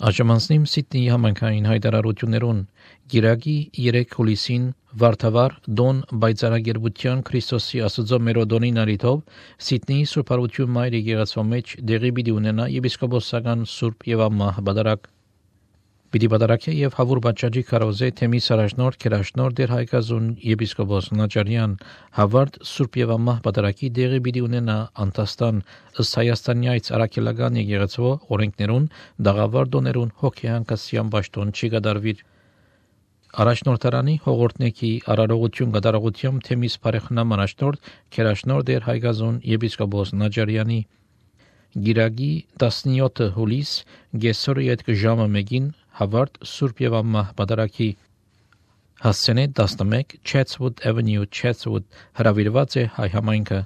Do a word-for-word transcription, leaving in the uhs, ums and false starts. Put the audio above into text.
Աժմանցնիմ Սիդնեի համայնքային հայտարարություններուն Գիրակի երեք հուլիսին Վարդավառ Դոն Բայցարագերբության Քրիստոսի Աստծո մերոդոնի նարիթով Սիդնեի Սուրբ Հարություն Մայր եկեղեցու մեջ դեղի պիտի ունենա եպիսկոպոսական Սուրբ եւ Ամմահ բադարակ։ Պիտի բադարակե եւ հավուր բաճաճի քարոզե թեմիս առաջնորդ Քերաշնոր դեր Հայկազուն եպիսկոպոս Նաճարյան հավարդ Սուրբ եւ Ամմահ բադարակի դեղի պիտի ունենա Անտաստան ըստ Հայաստանյայց Արաքելական եկեղեցու օրենքներուն դաղավարդոներուն հոգեհանկասյան ճաշտոն չի գդարվիր։ Առաջնորդարանի հողորտնեքի արարողություն գդարողությամբ թեմիս բարեխնամ առաջնորդ Քերաշնոր դեր Հայկազուն եպիսկոպոս Նաճարյանի Գիրագի տասնյոթ հուլիս գեսորի այդ ժամը մեկին հավարդ Սուրբ եւ Ամմահ բադարակի հասցենե տասնմեկ Chatswood Avenue Chatswood հրավիրված է հայ համայնքը